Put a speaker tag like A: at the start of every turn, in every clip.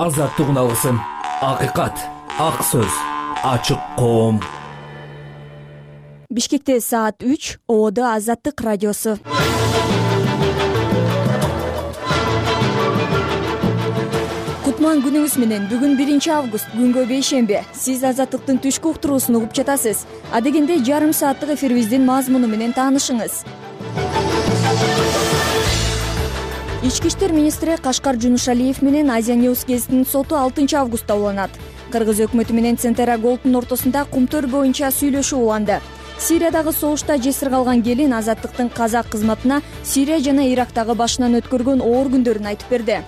A: азаттык алгысым, акыйкат, ак сөз, ачык коом.
B: Бишкекте саат 3, ООД Азаттык радиосу. Кутман күнүңүз менен. Бүгүн 1 август, күнгө бейшемби. Сиз Азаттыктын түшкү уктуруусун угуп жатасыз. Адегенде жарым сааттык эфирибиздин мазмуну менен таанышыңыз. Ички иштер министри Кашкар Жунушалиев менен Азия News гезитинин соту 6 августта уланат. Кыргыз өкмөтү менен Центера Голдтун ортосунда кумтөр боюнча сүйлөшүү уланды. Сириядагы согушта жесир калган келин Азаттыктын казак кызматына Сирия жана Ирактагы башынан өткөргөн оор күндөрүн айтып берди.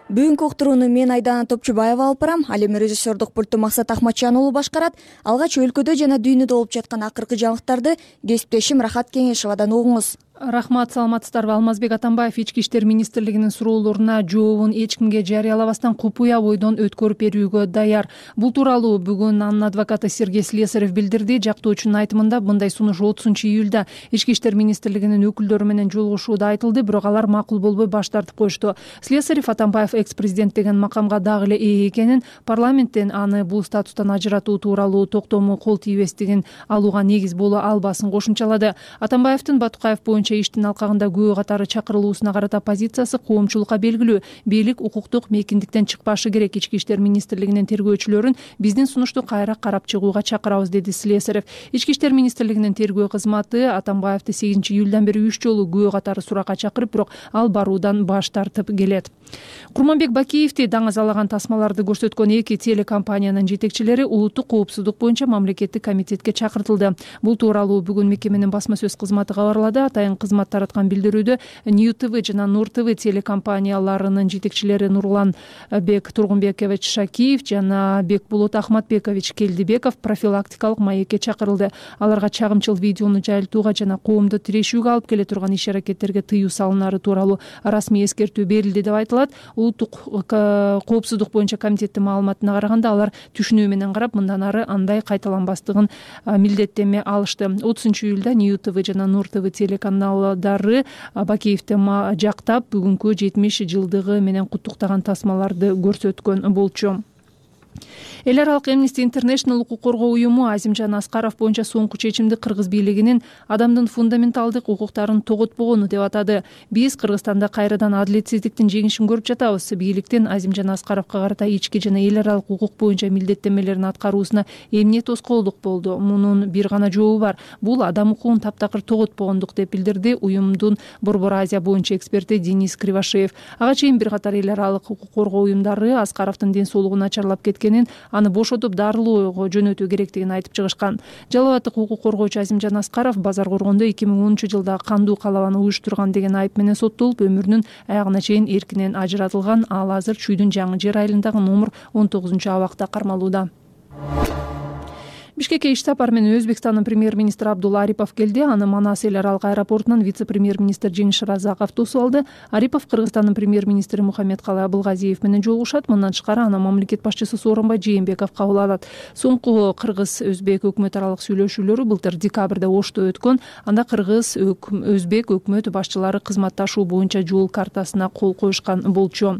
B: Бүгүнкү уктурууну мен Айдана Топчубаева алып барам. Ал эми режиссердук пультту Максат Ахматжан уулу башкарат. Алгач өлкөдө жана дүйнөдө болуп жаткан акыркы жаңылыктарды кесиптешим Рахат Кеңешевадан угуңуз.
C: Рахмат, саламатсыздарбы? Алмазбек Атамбаев Ички иштер министрлигинин суроолоруна жообун эч кимге жарыялабастан купуя бойдон өткөрүп берүүгө даяр. Бул тууралуу бүгүн анын адвокаты Сергей Слесарев билдирди. Жактоочунун айтымында мындай сунуш 30-июлда Ички иштер министрлигинин өкүлдөрү менен жолугушууда айтылды, бирок алар макул болбой баш тартып коюшту. Слесарев Атамбаев экс-президент деген макамга дагы эле ээ экенин, парламенттен аны бул статустан ажыратуу тууралуу токтому кол тийбестигин алууга негиз боло албасын кошумчалады. Атамбаевдин Батукаев боюнча иштин алкагында күбө катары чакырылуусуна карата позициясы коомчулукка белгилүү. Бийлик укуктук мейкиндиктен чыкпашы керек. Ички иштер министрлигинин тергөөчүлөрүн биздин сунушту кайра карап чыгууга чакырабыз, деди Слесарев. Ички иштер министрлигинин тергөө кызматы Атамбаевди 8-июлдан бери 3 жолу күбө катары суракка чакырып, бирок ал баруудан баш тартып келет. Курманбек Бакиевди даңазалаган тасмаларды көрсөткөн 2 телекомпаниянын жетекчилери улуттук коопсуздук боюнча мамлекеттик комитетке чакыртылды. Бул тууралуу бүгүн мекеменин басма сөз кызматы кабарлады. Атайын кызмат тараткан билдирүүдө Нью ТВ жана Нур ТВ телекомпанияларынын жетекчилери Нурлан Бек Тургунбекович Шакиев жана Бекбулут Ахматбекович Келдибеков профилактикалык маекке чакырылды. Аларга чагымчыл видеону жайылтууга жана коомду тирешүүгө алып келе турган иш-аракеттерге тыюу салынары тууралуу расмий эскертүү берилди деп айтылат. Улуттук коопсуздук боюнча комитеттин маалыматына караганда, алар түшүнүү менен карап, мындан ары андай кайталанбастыгын милдеттенме алышты. 30-июлда Нью ТВ жана Нур ТВ телеканалдары Бакиевди жактап, бүгүнкү 70 жылдыгы менен куттуктаган тасмаларды көрсөткөн болчу. Эл аралык Amnesty International укук коргоо уюму Азимжан Аскаров боюнча соңку чечимди кыргыз бийлигинин адамдын фундаменталдык укуктарын тоготпогону деп атады. Биз Кыргызстанда кайрадан адилетсиздиктин жеңишин көрүп жатабыз. Бийликтин Азимжан Аскаровго карата ички жана эл аралык укук боюнча милдеттенмелерин аткаруусуна эмне тоскоолдук болду? Мунун бир гана жообу бар. Бул адам укугун таптакыр тоготпогондук, деп билдирди уюмдун Борбор Азия боюнча эксперти Денис Кривошеев. Ага чейин бир катар эл аралык укук коргоо уюмдары Аскаровдун ден соолугу начарлап кеткенин, аны бошотуп дарылоого жөнөтүү керектигин айтып чыгышкан. Жалал абаддык укук коргоочу Азимжан Аскаров Базар коргондо 2010-жылда кандуу калабаны уюштурган деген айып менен соттолуп, өмүрүнүн аягына чейин эркинен ажыратылган. Ал азыр Чүйдүн Жаңы жер айылындагы номер 19-абакта кармалууда. Бишкекке иш сапар менен Өзбекстандын премьер-министри Абдулла Арипов келди. Аны Манас эл аралык аэропортунан вице-премьер-министр Жеңиш Разаков тосуп алды. Арипов Кыргызстандын премьер-министри Мухаммедкалый Абылгазиев менен жолугушат. Мындан тышкары аны мамлекет башчысы Сооронбай Жээнбеков кабыл алат. Соңку кыргыз-өзбек өкмөт аралык сүйлөшүүлөрү былтыр декабрда Ошто өткөн. Анда кыргыз-өзбек өкмөт башчылары кызматташуу боюнча жол картасына кол коюшкан болчу.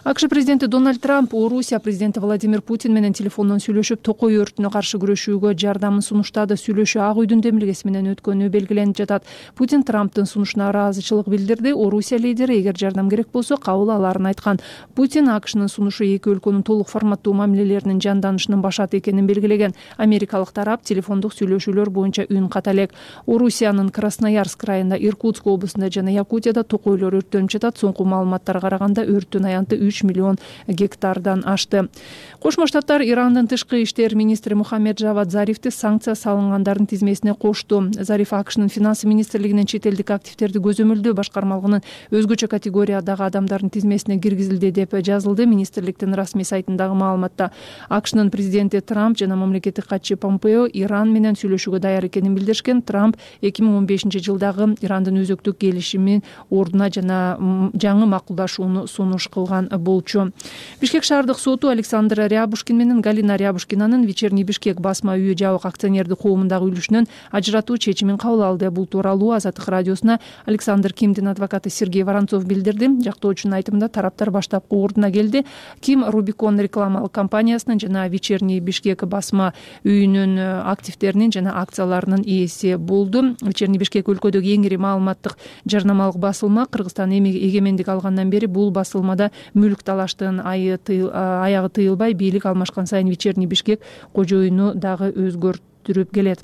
C: АКШ президенти Дональд Трамп Орусия президенти Владимир Путин менен телефондон сүйлөшүп, токой өртүнө каршы күрөшүүгө жардамын сунуштады. Сүйлөшүү Ак үйдүн демилгеси менен өткөнү белгиленип жатат. Путин Трамптын сунушуна ыраазычылык билдирди. Орусия лидери эгер жардам керек болсо кабыл аларын айткан. Путин АКШнын сунушу эки өлкөнүн толук форматтуу мамилелеринин жанданышынын башаты экенин белгилеген. Америкалык тарап телефондук сүйлөшүүлөр боюнча үн ката элек. Орусиянын Красноярск районунда, Иркутск облусунда жана Якутияда токойлор өрттөнүп жатат. Соңку маалыматтарга караганда өрттүн аянты 3 миллион гектардан ашты. Кошмо Штаттар Ирандын тышкы иштер министри Мухаммед Жавад Зарифти санкция салынгандардын тизмесине кошту. Зариф АКШнын финансы министрлигинин чет элдик активдерди көзөмөлдөө башкармалыгынын өзгөчө категориядагы адамдардын тизмесине киргизилди деп жазылды министрликтин расмий сайтындагы маалыматта. АКШнын президенти Трамп жана мамлекеттик катчы Помпео Иран менен сүйлөшүүгө даяр экенин билдиришкен. Трамп 2015-жылдагы Ирандын өзөктүк келишимин ордуна жана жаңы макулдашууну сунуш кылган болчу. Бишкек шаардык соту Александр Рябушкин менен Галина Рябушкинанын Вечерний Бишкек басма үйү жабык акционердик коомундагы үлүшүнөн ажыратуу чечимин кабыл алды. Бул тууралуу Азаттык радиосуна Александр Кимдин адвокаты Сергей Воронцов билдирди. Жактоочунун айтымында тараптар баштапкы ордуна келди. Ким Рубикон рекламалык компаниясынын жана Вечерний Бишкек басма үйүнүн активдеринин жана акцияларынын ээси болду. Вечерний Бишкек өлкөдөгү эң ири маалыматтык жарнамалык басылма. Кыргызстан эгемендик алгандан бери бул басылмада мүлк талаштын аягы тыйылбай, бийлик алмашкан сайын Вечерний Бишкек кожоюну дагы өзгөртүрүп келет.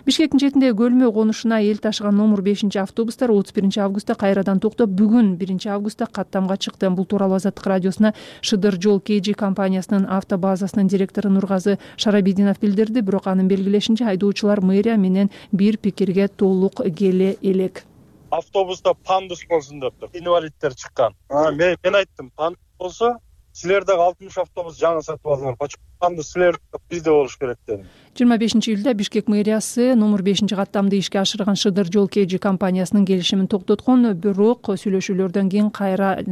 C: Бишкектин четиндеги көлмө конушуна эл ташыган номер 5-автобустар 31 августта кайрадан токтоп, бүгүн 1 августта каттамга чыкты. Бул тууралуу Азаттык радиосуна Шыдыр жол KG компаниясынын автобазасынын директору Нургазы Шарабидинов билдирди. Бирок анын белгилешинче, айдоочулар мэрия менен бир пикирге толук келе элек.
D: Автобуста пандус болсун дептир. Инвалидтер чыккан. Мен айттым, пандус болсо силер дагы 60 автобус жаңы сатып алыңар. Пандус силер бизде болуш керек дедим.
C: 25-июлда Бишкек мэриясы номер 5-каттамды ишке ашырган Шыдыр жол KG компаниясынын келишимин токтоткон, бирок сүйлөшүүлөрдөн кийин кайра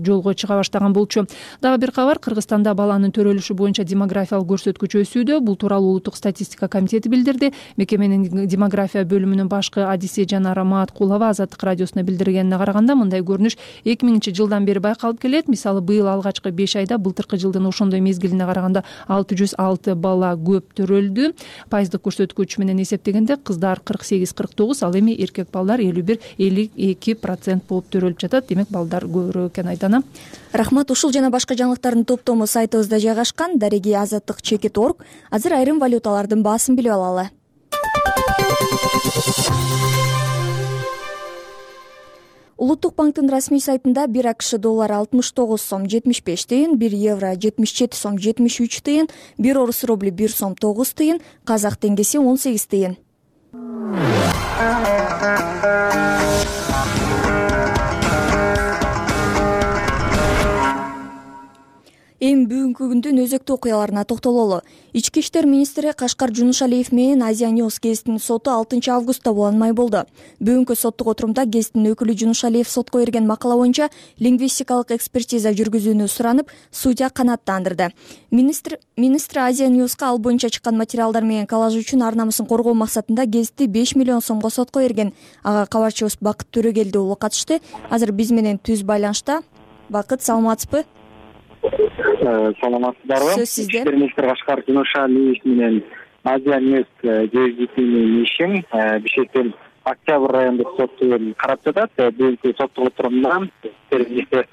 C: жолго чыга баштаган болчу. Дагы бир кабар, Кыргызстанда баланын төрөлүшү боюнча демографиялык көрсөткүч өсүүдө. Бул тууралуу Улуттук статистика комитети билдирди. Мекеменин демография бөлүмүнүн башкы Адисе Жанара Маткулова Азаттык радиосуна билдиргенине караганда, мындай көрүнүш 2000-жылдан бери байкалып келет. Мисалы, быйыл алгачкы 5 айда былтыркы жылдын ошондой мезгилине караганда 606 бала көп төрөлдү. Пайыздык көрсөткүч менен эсептегенде кыздар 48-49, ал эми эркек балдар 51-52% болуп төрөлүп жатат. Демек балдар көбүрөөк экен Айдана.
B: Рахмат. Ушул жана башка жаңылыктардын топтому сайтыбызда жайгашкан. Дареги Азаттык.org. Азыр айрым валюталардын баасын билип алалы. Улуттук банктын расмий сайтында 1 АКШ доллары 69 сом 75 тыйын, 1 евро 77 сом 73 тыйын, 1 орус рубли 1 сом 9 тыйын, казак теңгеси 18 тыйын. Эми бүгүнкү күндүн өзөктүү окуяларына токтололу. Ички иштер министри Кашкар Жунушалиев менен Азия News гезитинин соту 6 августта уланмай болду. Бүгүнкү соттук отурумда гезиттин өкүлү Жунушалиев сотко берген макала боюнча лингвистикалык экспертиза жүргүзүүнү суранып, судья канааттандырды. Министр Азия News'ка ал боюнча чыккан материалдар менен коллаж үчүн ар намысын коргоо максатында гезитти 5 миллион сомго сотко берген. Ага кабарчыбыз Бакыт Төрөгелди уулу катышты. Азыр биз менен түз байланышта. Бакыт, саламатсызбы?
E: Саламатсыздарбы?
B: Сөз сизде.
E: Министр Кашкар Жунушалиев менен Азия News гезитинин ишин Бишкектин Октябрь райондук соту карап жатат. Бүгүнкү соттук отурумда министр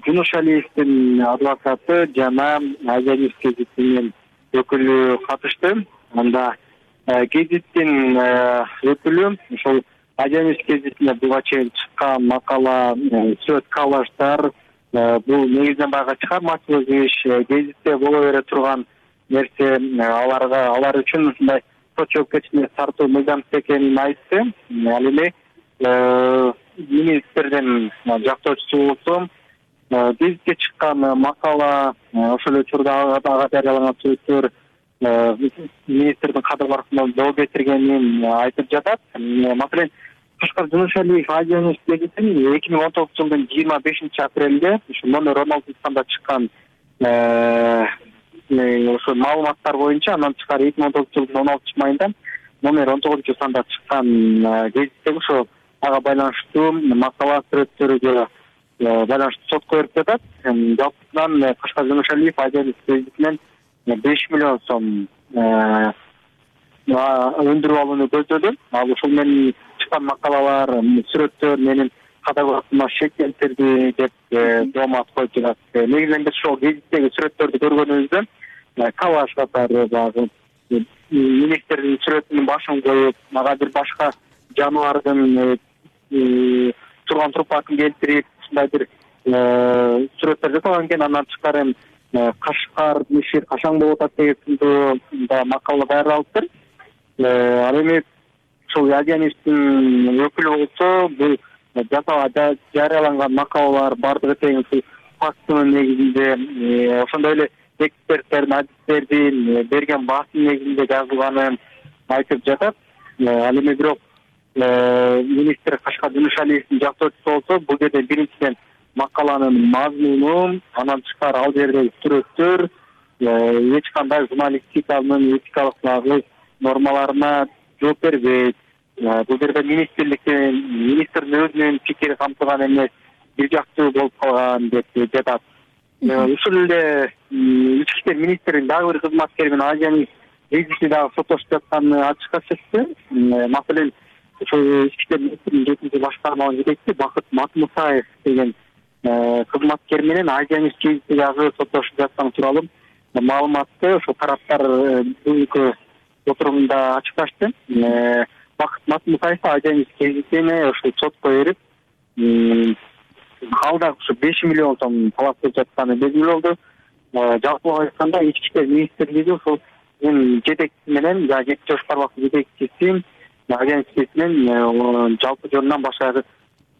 E: Жунушалиевдин адвокаты жана Азия News гезитинин өкүлү катышты. Анда гезиттин өкүлү ошол Азия News гезитине буга чейин чыккан макала, сүрөт, коллаждар, бул негизинен байга чыгармачылык иш, гезитте боло бере турган нерсе алар үчүн ушундай сот жоопкерчилигине тартуу мыйзамсыз экенин айтты. Ал эми министрдин жактоочусу болсо гезитке чыккан макала, ошол эле учурда ага жарыяланган сүрөттөр министрдин кадыр баркына жол кетиргенин айтып жатат. Маселен, Кашкар Жунушалиев Азия News гезитин 2019 жылдын 25 апрелде ушу номер 16 санда чыккан ошо маалыматтар боюнча, андан тышкары 2019 жылдын 16 майында номер 19 санда чыккан гезитте ошо ага байланыштуу макала, сүрөттөргө байланыштуу сотко берип жатат. Жалпысынан Кашкар Жунушалиев Азия News гезитинен 5 миллион сом өндүрүп алууну көздөдү. Ал ушул менен чыккан макалалар, сүрөттөр менин кадагатыма шектелтирди деп доомат коюп жатат. Негизинен биз ошол гезиттеги сүрөттөрдү көргөнүбүздө коллаж катары багы министрдин сүрөтүнүн башын коюп, ага бир башка жаныбардын турган трупасын келтирип, ушундай бир сүрөттөр жасалган экен. Андан тышкары Кашкар иши качан болуп атат деген сындуу макала даярдалыптыр. Ал эми ошол Азия News'тун өкүлү болсо, бул жарыяланган макалалар бардыгы тең фактынын негизинде, ошондой эле эксперттердин, адистердин берген баасынын негизинде жазылганын айтып жатат. Ал эми бирок министр Кашкар Жунушалиевдин жактоочусу болсо, бул жерде биринчиден макаланын мазмуну, андан тышкары ал жердеги сүрөттөр эч кандай журналистиканын этикалык нормаларына жооп бербейт. Бул жерде министрдин өзүнүн пикири камтылган эмес, бир жактуу болуп калган деп жатат. Ушул эле ички иштер министринин дагы бир кызматкери менен Азиянын кризиси дагы соттошуп жатканы ачыкка чыкты. Маселен, ошол ички иштер министринин 7-башкармалык жетекчиси Бакыт Матмусаев деген кызматкер менен Азиянын кризиси дагы соттошуп жатканы тууралуу маалыматты ошол тараптар бүгүнкү отурумда ачыкташты. Бакыт Матмусаев Азиянын кризисине ошол сотко берип, ал дагы ушу 5 миллион сом талап кылып жатканы белгилүү болду. Жалпылап айтканда ички иштер министрлиги ошол жетекчиси менен, жетинчи башкармалык жетекчиси Азиянын кризисинен жалпы жөнүнөн башка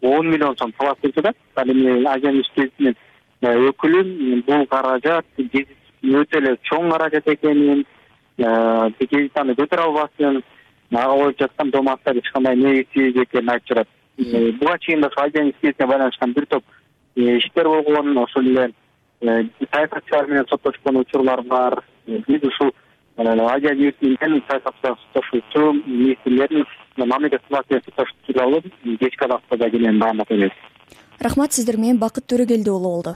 E: 10 миллион сом талап кылып жатат. Ал эми Азиянын кризисинин өкүлү бул каражат өтө эле чоң каражат экенин, кредитаны көтөрө албасын, ага коюп жаткан доматтар эч кандай негизсиз экенин айтып жатат. Буга чейин да Азиянын кризисине байланышкан бир топ иштер болгон, ошол эле саясатчылар менен соттошкон учурлар бар. Биз ушул Азия Ньюсменен саясатчылар соттошуучу министрлердин мамлекет кызматына соттошуу тууралуу кечки абактада кенен маалымат беребиз.
B: Рахмат, сиздер менен Бакыт Төрөгелди уулу болду.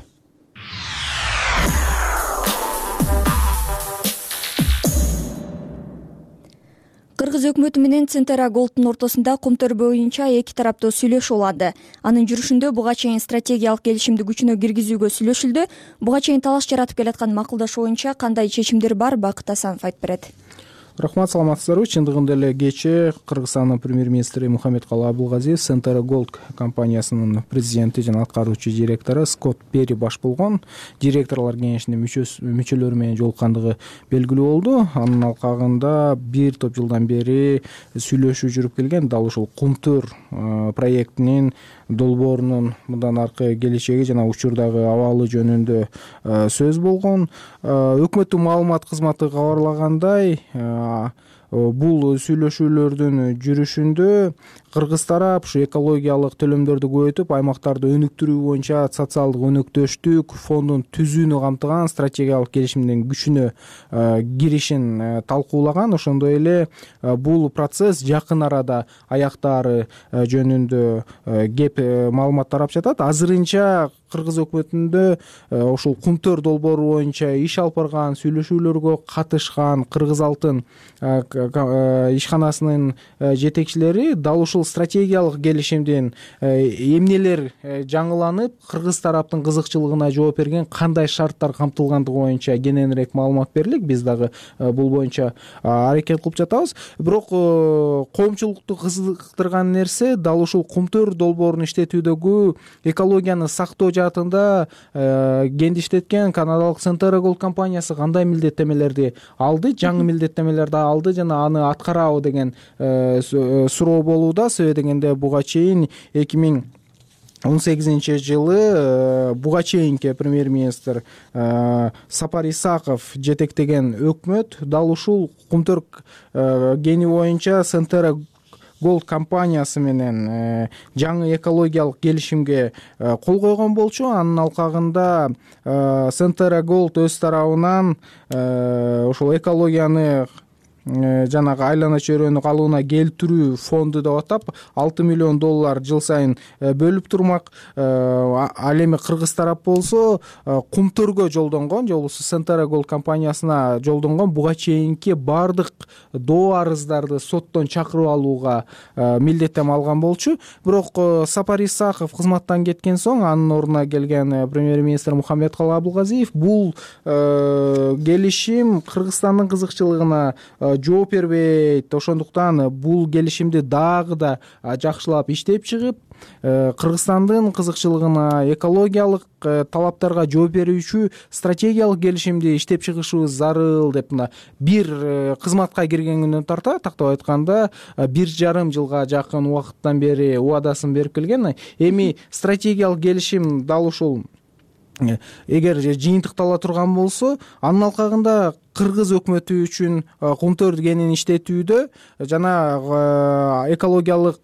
B: Кыргыз өкмөтү менен Центера Голдтун ортосунда кумтөр боюнча эки тараптуу сүйлөшүү уланды. Анын жүрүшүндө буга чейин стратегиялык келишимди күчүнө киргизүүгө сүйлөшүлдү. Буга чейин талаш жаратып келаткан макулдашуу боюнча кандай чечимдер бар, Бакыт Асанов айтып берет.
F: Рахмат, саламатсыздарбы? Чындыгында эле кечээ Кыргызстандын премьер-министри Мухаммедкалы Абылгазиев Центера Голд компаниясынын президенти жана аткаруучу директору Скотт Перри баш болгон директорлор кеңешинин мүчөлөрү менен жолуккандыгы белгилүү болду. Анын алкагында бир топ жылдан бери сүйлөшүү жүрүп келген, дал ушул кумтөр проектинин долбоорунун мындан аркы келечеги жана учурдагы абалы жөнүндө сөз болгон. Өкмөттүн маалымат кызматы кабарлагандай, бул сүйлөшүүлөрдүн жүрүшүндө кыргыз тарап ушу экологиялык төлөмдөрдү көбөйтүп, аймактарды өнүктүрүү боюнча социалдык өнөктөштүк фондун түзүүнү камтыган стратегиялык келишимдин күчүнө киришин талкуулаган. Ошондой эле бул процесс жакын арада аяктаары жөнүндө кеп маалымат тарап жатат. Азырынча Кыргыз өкмөтүндө ошол кумтөр долбоору боюнча иш алып барган, сүйлөшүүлөргө катышкан Кыргыз Алтын ишканасынын жетекчилери дал ушул стратегиялык келишимдин эмнелер жаңыланып, кыргыз тараптын кызыкчылыгына жооп берген, кандай шарттар камтылгандыгы боюнча кененирээк маалымат берилик. Биз дагы бул боюнча аракет кылып жатабыз. Бирок коомчулукту кызыктырган нерсе дал ушул кумтөр долбоорун иштетүүдөгү экологияны сактоо жаатында кендиштеткен канадалык Центера Голд компаниясы кандай милдеттемелерди алды, жаңы милдеттемелерди алды жана аны аткарабы деген суроо болууда. Себеби дегенде буга чейин 2018-жылы буга чейинки премьер-министр Сапар Исаков жетектеген өкмөт дал ушул кумтөр кени боюнча Центера Голд компаниясы менен жаңы экологиялык келишимге кол койгон болчу. Анын алкагында Центера Голд өз тарабынан ошол экологияны жанагы айлана чөйрөнү калыбына келтирүү фонду деп атап $6 миллион жыл сайын бөлүп турмак. Ал эми кыргыз тарап болсо кумтөргө жолдонгон, же болбосо Центера Голд компаниясына жолдонгон буга чейинки бардык доо арыздарды соттон чакырып алууга милдеттеме алган болчу. Бирок Сапар Исаков кызматтан кеткен соң анын ордуна келген премьер-министр Мухаммедкалы Абылгазиев бул келишим Кыргызстандын кызыкчылыгына жооп бербейт, ошондуктан бул келишимди дагы да жакшылап иштеп чыгып, Кыргызстандын кызыкчылыгына экологиялык талаптарга жооп берүүчү стратегиялык келишимди иштеп чыгышыбыз зарыл деп бир кызматка киргенгенден тарта, тактап айтканда 1,5 жылга жакын убакыттан бери убадасын берип келген. Эми стратегиялык келишим дал ушул эгер жыйынтыктала турган болсо, анын алкагында кыргыз өкмөтү үчүн кумтөр кенин иштетүүдө жана экологиялык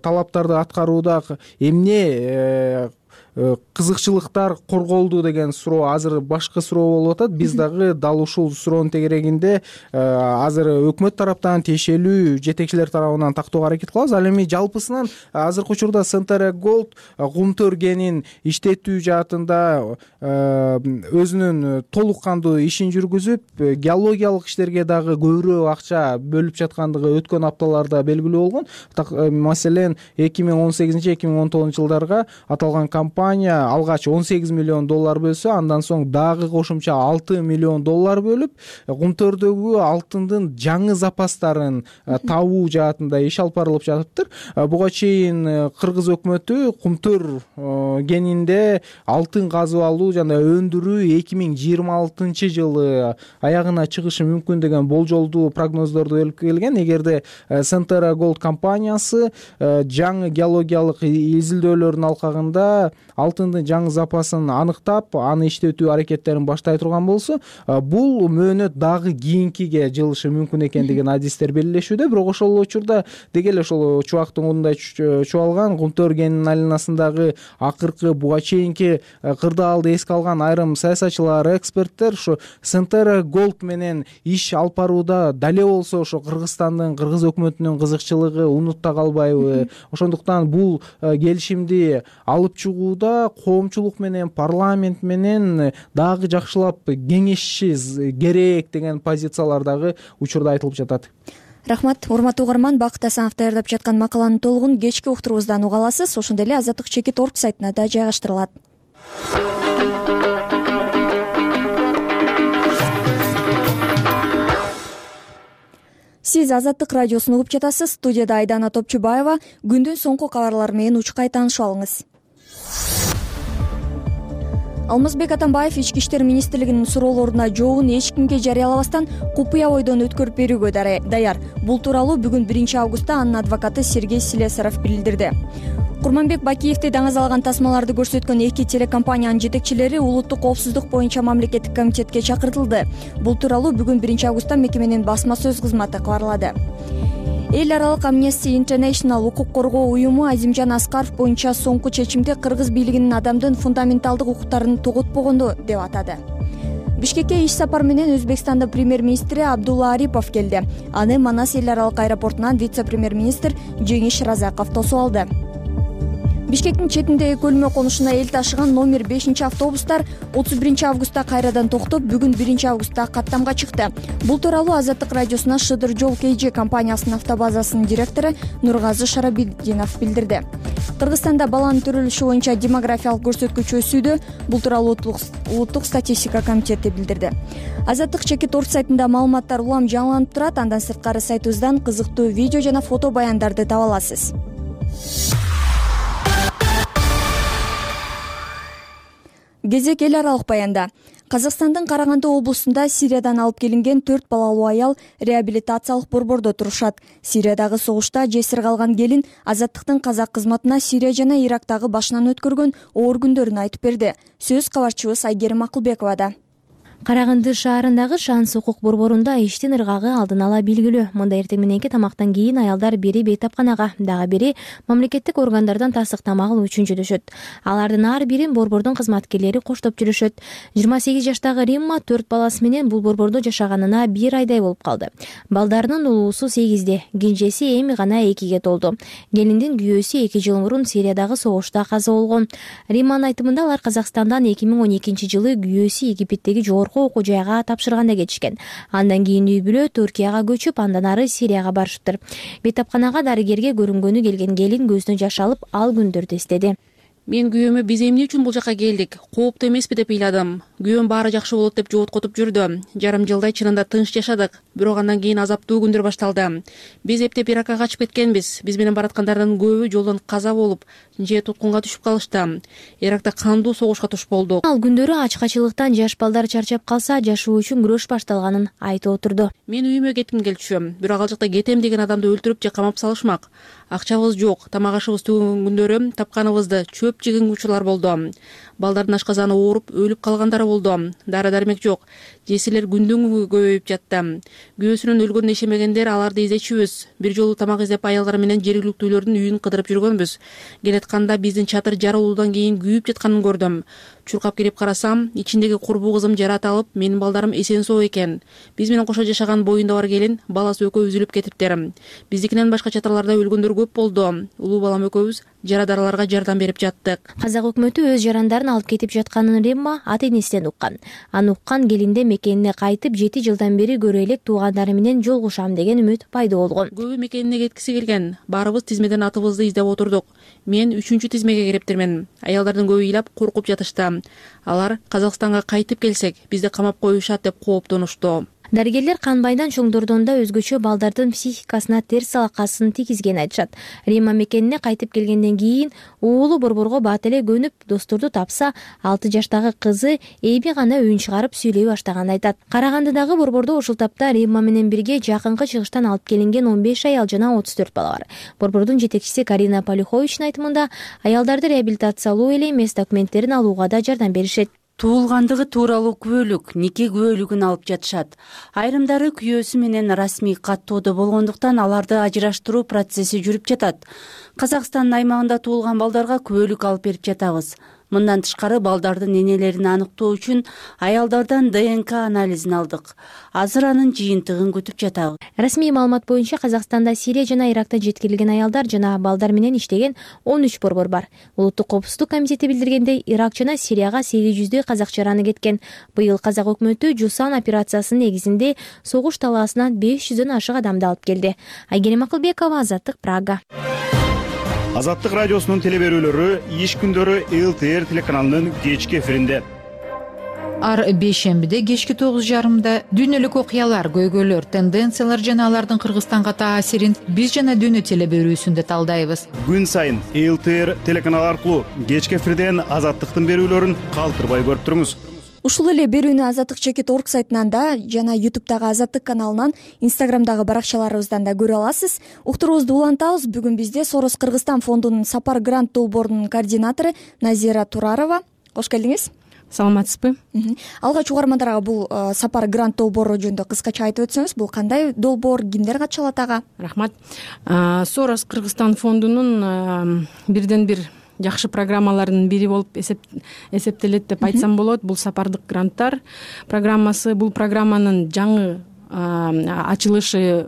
F: талаптарды аткарууда эмне кызыкчылыктар корголду деген суроо азыр башка суроо болуп атат. Биз дагы дал ушул суроонун тегерегинде азыр өкмөт тараптан тиешелүү жетекчилер тарабынан тактоого аракет кылабыз. Ал эми жалпысынан азыркы учурда Centera Gold кумтөр кенин иштетүү жаатында өзүнүн толук кандуу ишин жүргүзүп, геологиялык иштерге дагы көбүрөөк акча бөлүп жаткандыгы өткөн апталарда белгилүү болгон. Маселен 2018-2019 жылдарга аталган компания алгач $18 миллион бөлсө, андан соң дагы кошумча $6 миллион бөлүп, кумтөрдөгү алтындын жаңы запастарын табуу жаатында иш алып барылып жатыптыр. Буга чейин кыргыз өкмөтү кумтөр кенинде алтын казып алуу жана өндүрүү 2026 жылы аягына чыгышы мүмкүн деген болжолдуу прогноздорду берип келген. Эгерде Centera Gold компаниясы жаңы геологиялык изилдөөлөрдүн алкагында алтындын жаңы запасын аныктап, аны иштетүү аракеттерин баштай турган болсо, бул мөөнөт дагы кийинкиге жылышы мүмкүн экендигин адистер белгилешүүдө. Бирок ошол учурда деги эле ошол чубактын мындай чубалган кумтөр кенинин айланасындагы акыркы буга чейинки кырдаалды эске алган айрым саясатчылар, эксперттер ушу Centera Gold менен иш алып барууда дале болсо ошо Кыргызстандын, кыргыз өкмөтүнүн кызыкчылыгы унутта калбайбы? Ошондуктан бул келишимди алып чыгууда коомчулук менен, парламент менен дагы жакшылап кеңешиши керек деген позициялар дагы учурда айтылып жатат.
B: Рахмат, урматтуу угарман. Бакыт Асанов даярдап жаткан макаланын толугун кечки уктуруубуздан уга аласыз. Ошондой эле Азаттык Чекит.org сайтына да жайгаштырылат. Сиз Азаттык радиосун угуп жатасыз. Студияда Айдана Топчубаева. Күндүн соңку кабарлары менен учкай таанышып алыңыз. Алмазбек Атамбаев Ички иштер министрлигинин суроолоруна жообун эч кимге жарыялабастан купуя бойдон өткөрүп берүүгө даяр. Бул тууралуу бүгүн 1-августта анын адвокаты Сергей Слесарев билдирди. Курманбек Бакиевди даңазалаган тасмаларды көрсөткөн 2 телекомпаниянын жетекчилери улуттук коопсуздук боюнча мамлекеттик комитетке чакыртылды. Бул тууралуу бүгүн 1-августта мекеменин басма сөз кызматы кабарлады. Эл аралык Amnesty International укук коргоо уюму Азимжан Аскаров боюнча соңку чечимди кыргыз бийлигинин адамдын фундаменталдык укуктарын тоготпогону деп атады. Бишкекке иш сапар менен Өзбекстандын премьер-министри Абдулла Арипов келди. Аны Манас эл аралык аэропортунан вице-премьер-министр Жеңиш Разаков тосуп алды. Бишкектин четиндеги көлмө конушуна эл ташыган номер 5-автобустар 31-августта кайрадан токтоп, бүгүн 1-августта каттамга чыкты. Бул тууралуу Азаттык радиосуна Шыдыр жол KG компаниясынын автобазасынын директору Нургазы Шарабиддинов билдирди. Кыргызстанда баланын төрөлүшү боюнча демографиялык көрсөткүч өсүүдө. Бул тууралуу улуттук статистика комитети билдирди. Азаттык Чекит.org сайтында маалыматтар улам жаңыланып турат. Андан сырткары сайтыбыздан кызыктуу видео жана фото баяндарды таба аласыз. Кезек эл аралык баянда. Казакстандын Караганды облусунда Сириядан алып келинген 4 балалуу аял реабилитациялык борбордо турушат. Сириядагы согушта жесир калган келин Азаттыктын казак кызматына Сирия жана Ирактагы башынан өткөргөн оор күндөрүн айтып берди. Сөз кабарчыбыз Айгерим Акылбековада.
G: Караганды шаарындагы Шанс укук борборунда иштин ыргагы алдын ала белгилүү. Мында эртең мененки тамактан кийин аялдар бири бейтапканага, дагы бири мамлекеттик органдардан тасык тамак алуу үчүн жөнөшөт. Алардын ар бирин борбордун кызматкерлери коштоп жүрүшөт. 28 жаштагы Римма 4 баласы менен бул борбордо жашаганына 1 айдай болуп калды. Балдарынын улуусу 8-де, кенжеси эми гана 2-ге толду. Келиндин күйөөсү 2 жыл мурун Сириядагы согушта каза болгон. Римманын айтымында алар Казакстандан 2012 жылы күйөөсү Египеттеги жогорку окуу жайга тапшырганда кетишкен. Андан кийин үй бүлө Түркияга көчүп, андан ары Сирияга барышыптыр. Бейтапканага дарыгерге көрүнгөнү келген келин көзүнө жаш алып, ал күндөрдү эстеди.
H: Мен күйөөмө биз эмне үчүн бул жака келдик? Кооптуу эмеспи деп ыйладым. Күйөөм баары жакшы болот деп жооткотуп жүрдү. Жарым жылдай чынында тынч жашадык. Бирок андан кийин азаптуу күндөр башталды. Биз эптеп Иракка качып кеткенбиз. Биз менен бараткандардын көбү жолдон каза болуп, же туткунга түшүп калышты. Иракта кандуу согушка туш болдук.
G: Ал күндөрү ачкачылыктан жаш балдар чарчап калса, жашоо үчүн күрөш башталганын айтып отурду.
H: Мен үйүмө кетким келчү. Бирок ал жакта кетем деген адамды өлтүрүп же камап салышмак. Акчабыз жок, тамак ашыбыз түгөн күндөрү тапканыбызды чөп жеген учурлар болду. балдардын ашказаны ооруп өлүп калгандары болду. Дары дармек жок. Жесирлер күндөн күнгө көбөйүп жатты. Күйөөсүнөн өлгөнүн ишемегендер аларды издечүбүз. Бир жолу тамак издеп аялдар менен жергиликтүүлөрдүн үйүн кыдырып жүргөнбүз. Келатканда биздин чатыр жарылуудан кийин күйүп жатканын көрдүм. Чуркап кирип карасам, ичиндеги курбу кызым жаратылып, менин балдарым эсен соо экен. Биз менен кошо жашаган боюнда бар келин, баласы экөө үзүлүп кетиптир. Биздикинен башка чатырларда өлгөндөр көп болду. Улуу балам экөөбүз жарадараларга жардам берип жаттык.
G: Казак өкмөтү өз жарандарын алып кетип жатканын Римма ата-энесинен уккан. Аны уккан келинде мекенине кайтып 7 жылдан бери көрө элек туугандары менен жолугушам деген үмүт пайда болгон.
H: Көбү мекенине кеткиси келген. Баарыбыз тизмеден атыбызды издеп отурдук. Мен 3-чү тизмеге кириптирмин. Аялдардын көбү ыйлап коркуп жатышты. Алар Казакстанга кайтып келсек, бизди камап коюшат деп кооптонушту.
G: Дарыгерлер кан байдан чоңдордон да өзгөчө балдардын психикасына терс алакасын тийгизгенин айтышат. Римма мекенине кайтып келгенден кийин уулу борборго бат эле көнүп, досторду тапса, 6 жаштагы кызы эми гана үн чыгарып сүйлөй баштаганын айтат. Карагандыдагы борбордо ушул тапта Римма менен бирге жакынкы чыгыштан алып келинген 15 аял жана 34 бала бар. Борбордун жетекчиси Карина Полюховичтин айтымында, аялдарды реабилитациялоо эле эмес, документтерин алууга да жардам беришет.
I: Туулгандыгы тууралуу күбөлүк, нике күбөлүгүн алып жатышат. Айрымдары күйөөсү менен расмий каттоодо болгондуктан аларды ажыраштыруу процесси жүрүп жатат. Казакстандын аймагында туулган балдарга күбөлүк алып берип жатабыз. Мындан тышкары балдардын энелерин аныктоо үчүн аялдардан ДНК анализин алдык. Азыр анын жыйынтыгын күтүп жатабыз.
G: Расмий маалымат боюнча Казакстанда Сирия жана Ирактан жеткирилген аялдар жана балдар менен иштеген 13 борбор бар. Улуттук коопсуздук комитети билдиргендей, Ирак жана Сирияга 800дөй казак жараны кеткен. Быйыл казак өкмөтү Жусан операциясынын негизинде согуш талаасынан 500дөн ашык адамды алып келди. Айгерим Акылбекова, Азаттык, Прага.
J: Азаттык радиосунун телеберүүлөрү иш күндөрү ЛТР телеканалынын кечки эфиринде.
K: Ар бейшембиде кечки 9:30 дүйнөлүк окуялар, көйгөйлөр, тенденциялар жана алардын Кыргызстанга таасирин биз жана дүйнө телеберүүсүндө талдайбыз.
J: Күн сайын ЛТР телеканалы аркылуу кечки эфирден Азаттыктын берүүлөрүн калтырбай көрүп туруңуз.
B: Ушул эле берүүнү azattik.org сайтынан да жана YouTube'дагы Азаттык каналынан, Instagram'дагы баракчаларыбыздан да көрө аласыз. Уктуруубузду улантабыз. Бүгүн бизде Сорос Кыргызстан фондунун Сапар грант долбоорунун координатору Назира Турарова. Кош келдиңиз.
L: Саламатсызбы?
B: Алгач угармандарга бул Сапар грант долбоору жөнүндө кыскача айтып өтсөңүз, бул кандай долбоор, кимдер катыша алат ага?
L: Рахмат. Сорос Кыргызстан фондунун бирден бир жакшы программаларынын бири болуп эсептелет деп айтсам болот. Бул сапардык гранттар программасы. Бул программанын жаңы ачылышы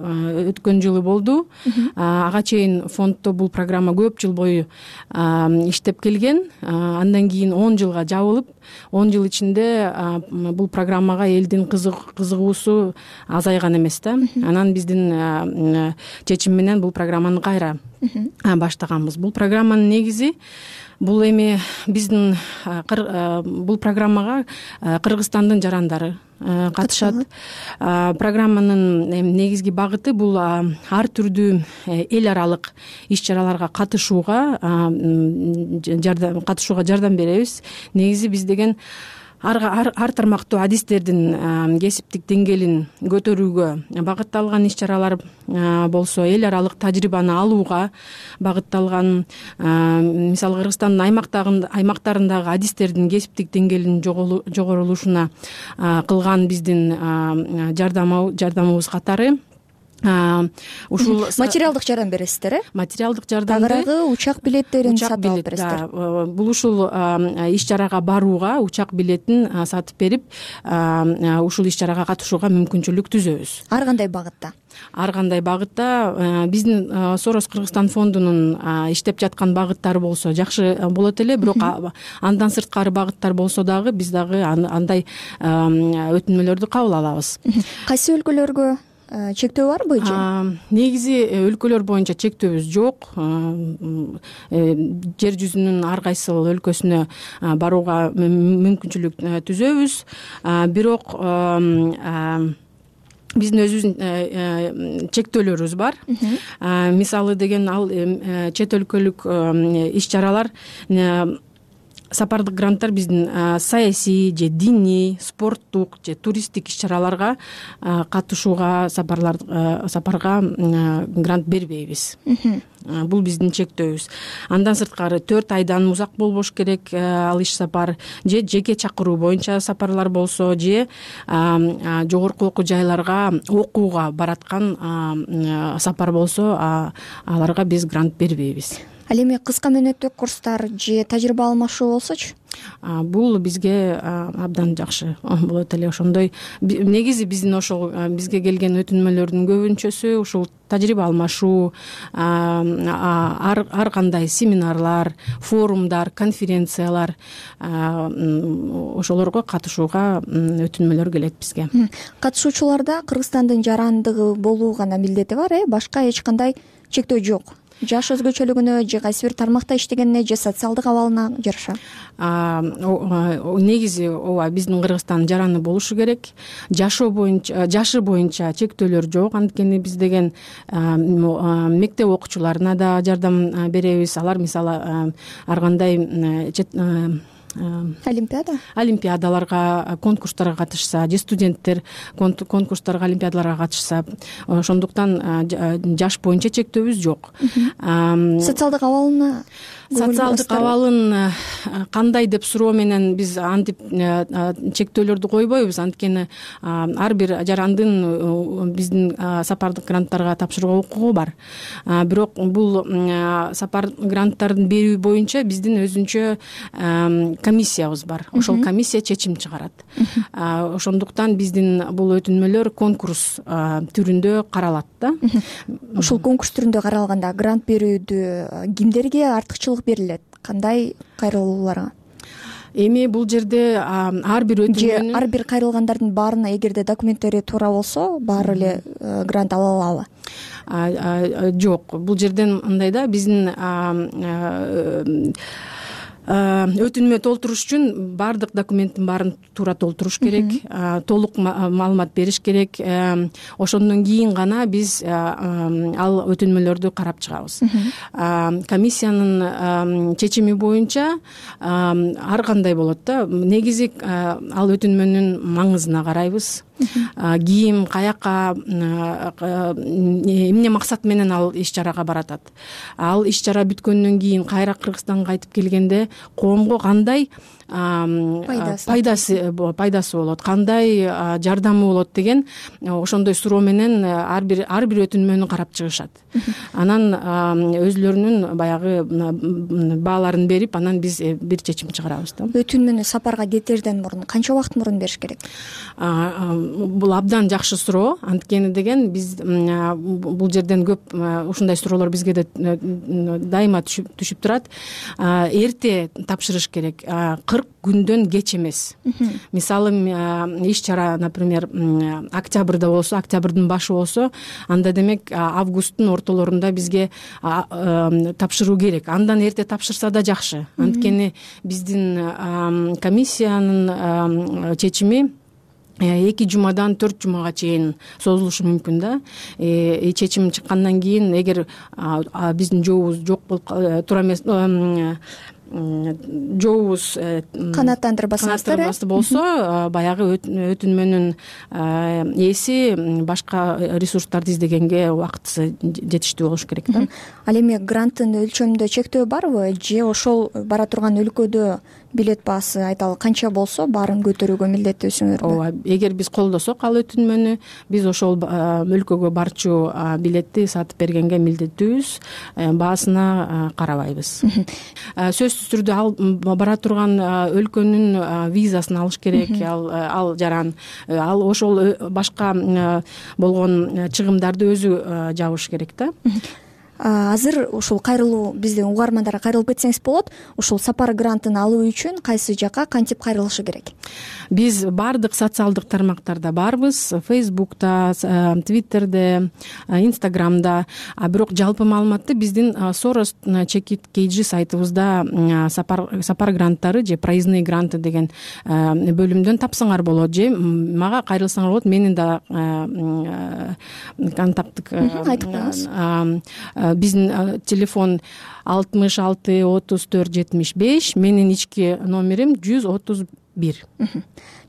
L: өткөн жылы болду. Ага чейин фонддо бул программа көп жыл бою иштеп келген. Андан кийин 10 жылга жабылып, 10 жыл ичинде бул программага элдин кызыгуусу азайган эмес да. Анан биздин чечим менен бул программаны кайра баштаганбыз. Бул программанын негизи бул эми биздин бул программага Кыргызстандын жарандары катышат. Программанын негизги багыты бул ар түрдүү эл аралык иш-чараларга катышууга жардам беребиз. Негизи биз деген ар тармактуу адистердин кесиптик деңгээлин көтөрүүгө багытталган иш-чаралар болсо, эл аралык тажрыйбаны алууга багытталган, мисалы Кыргызстандын аймактарындагы адистердин кесиптик деңгээлинин жогорулушуна кылган биздин жардамыбыз катары. Ушул
B: материалдык жардам бересиздер, э?
L: Материалдык жардамды,
B: тагыраагы учак билеттерин сатып алып бересиздер.
L: Бул ушул иш-чарага барууга учак билетин сатып берип, ушул иш-чарага катышууга мүмкүнчүлүк түзөбүз.
B: Ар кандай багытта?
L: Ар кандай багытта биздин Сорос Кыргызстан фондунун иштеп жаткан багыттары болсо жакшы болот эле, бирок андан сырткары багыттар болсо дагы биз дагы андай өтүнмөлөрдү кабыл алабыз.
B: Кайсы өлкөлөргө чектөө барбы?
L: Негизи өлкөлөр боюнча чектөөбүз жок. Жер жүзүнүн ар кайсы өлкөсүнө барууга мүмкүнчүлүк түзөбүз. Бирок биздин өзүбүздүн чектөөлөрүбүз бар. Мисалы деген ал чет өлкөлүк иш-чаралар, сапардык гранттар биздин саясий же диний, спорттук же туристтик иш-чараларга катышууга сапарга грант бербейбиз. бул биздин чектөөбүз. Андан сырткары 4 айдан узак болбош керек ал иш сапар, же жеке чакыруу боюнча сапарлар болсо, же жогорку окуу жайларга окууга бараткан сапар болсо, аларга биз грант бербейбиз.
B: Ал эми кыска мөөнөттүү курстар же тажрыйба алмашуу болсочу?
L: Бул бизге абдан жакшы болот эле. Ошондой негизи биздин ошол бизге келген өтүнмөлөрдүн көбүнчөсү ушул тажрыйба алмашуу, ар кандай семинарлар, форумдар, конференциялар, ошолорго катышууга өтүнмөлөр келет бизге.
B: Катышуучуларда Кыргызстандын жарандыгы болуу гана милдети бар, башка эч кандай чектөө жок. Жаш өзгөчөлүгүнө же кайсы бир тармакта иштегенине же социалдык абалына жараша.
L: Негизи ооба биздин Кыргызстан жараны болушу керек. Жашы боюнча чектөөлөр жок. Анткени биз деген мектеп окуучуларына да жардам беребиз. Алар мисалы ар кандай олимпиадаларга, конкурстарга катышса, же студенттер конкурстарга, олимпиадаларга катышса, ошондуктан жаш боюнча чектөөбүз жок.
B: Социалдык
L: абалын кандай деп суроо менен биз антип чектөөлөрдү койбойбуз. Анткени ар бир жарандын биздин сапардык гранттарга тапшырууга укугу бар. Бирок бул сапар гранттарын берүү боюнча биздин өзүнчө комиссиябыз бар. Ошол комиссия чечим чыгарат. Ошондуктан биздин бул өтүнмөлөр конкурс түрүндө каралат да.
B: Ушул конкурс түрүндө каралганда грант берүүдө кимдерге артыкчылык берилет? Кандай кайрылууларга?
L: Эми бул жерде ар бир өтүнмөнүн
B: ар бир кайрылгандардын баарына эгерде документтери туура болсо, баары эле грант ала алабы?
L: Жок, бул жерден мындай да, биздин өтүнмө толтуруш үчүн баардык документтин баарын туура толтуруш керек, толук маалымат бериш керек. Ошондон кийин гана биз ал өтүнмөлөрдү карап чыгабыз. Комиссиянын чечими боюнча ар кандай болот да. Негизи ал өтүнмөнүн маңызына карайбыз. Кийим каяка, эмне максат менен ал иш чарага баратат. Ал иш чара бүткөндөн кийин кайра Кыргызстанга кайтып келгенде коомго кандай пайдасы болот, кандай жардамы болот деген ошондой суроо менен ар бир өтүнмөнү карап чыгышат. Анан өзлөрүнүн баягы бааларын берип, анан биз бир чечим чыгарабыз да.
B: Өтүнмөнү сапарга кетерден мурун канча убакыт мурун бериш керек?
L: Бул абдан жакшы суроо. Анткени деген биз бул жерден көп ушундай суроолор бизге да дайыма түшүп турат. Эрте тапшырыш керек. 40 күндөн кеч эмес. Мисалы иш чара, например, октябрда болсо, октябрдын башы болсо, анда демек августтун ортолорунда бизге тапшыруу керек. Андан эрте тапшырса да жакшы. Анткени биздин комиссиянын чечими 2 жумадан 4 жумага чейин созулушу мүмкүн да. Чечим чыккандан кийин эгер биздин жообубуз жок болуп тура эмес, жообубуз канааттандырбасы болсо, баягы өтүнмөнүн ээси башка ресурстарды издегенге убактысы жетиштүү болуш керек да.
B: Ал эми гранттын өлчөмүндө чектөө барбы, же ошол бара турган өлкөдө билет баасы айталы канча болсо баарын көтөрүүгө милдеттүүсүңөрбү?
L: Ооба, эгер биз колдосок ал өтүнмөнү, биз ошол өлкөгө барчу билетти сатып бергенге милдеттүүбүз, баасына карабайбыз. Сөзсүз түрдө ал бара турган өлкөнүн визасын алыш керек, ал жаран, ал ошол башка болгон чыгымдарды өзү жабыш керек да.
B: Азыр ушул кайрылуу, биздин угармандарга кайрылып кетсеңиз болот. Ушул сапар грантын алуу үчүн кайсы жакка кантип кайрылышы керек?
L: Биз баардык социалдык тармактарда барбыз, Facebook'та, Twitter'де, Instagram'да. Бирок жалпы маалыматты биздин Soros KG сайтыбызда сапар гранттары же проездные гранты деген бөлүмдөн тапсаңар болот, же мага кайрылсаңар болот. Менин да контакттык
B: айтып коюңуз.
L: Биздин телефон 66 34 75, менин ички номерим 135 1.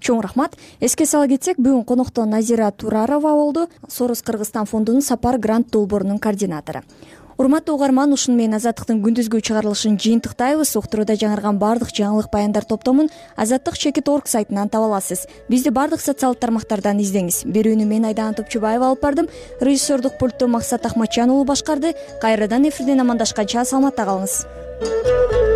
B: Чоң рахмат. Эске сала кетсек, бүгүн конокто Назира Турарова болду, Сорос Кыргызстан фондунун Сапар грант долбоорунун координатору. Урматтуу угарман, ушуну менен Азаттыктын күндүзгү чыгарылышын жыйынтыктайбыз. Уктурууда жаңырган баардык жаңылык баяндар топтомун azattik.org сайтынан таба аласыз. Бизди баардык социалдык тармактардан издеңиз. Берүүнү мен Айдана Топчубаева алып бардым. Режиссердук пультту Максат Ахматжан уулу башкарды. Кайрадан эфирден амандашканча саламатта калыңыз.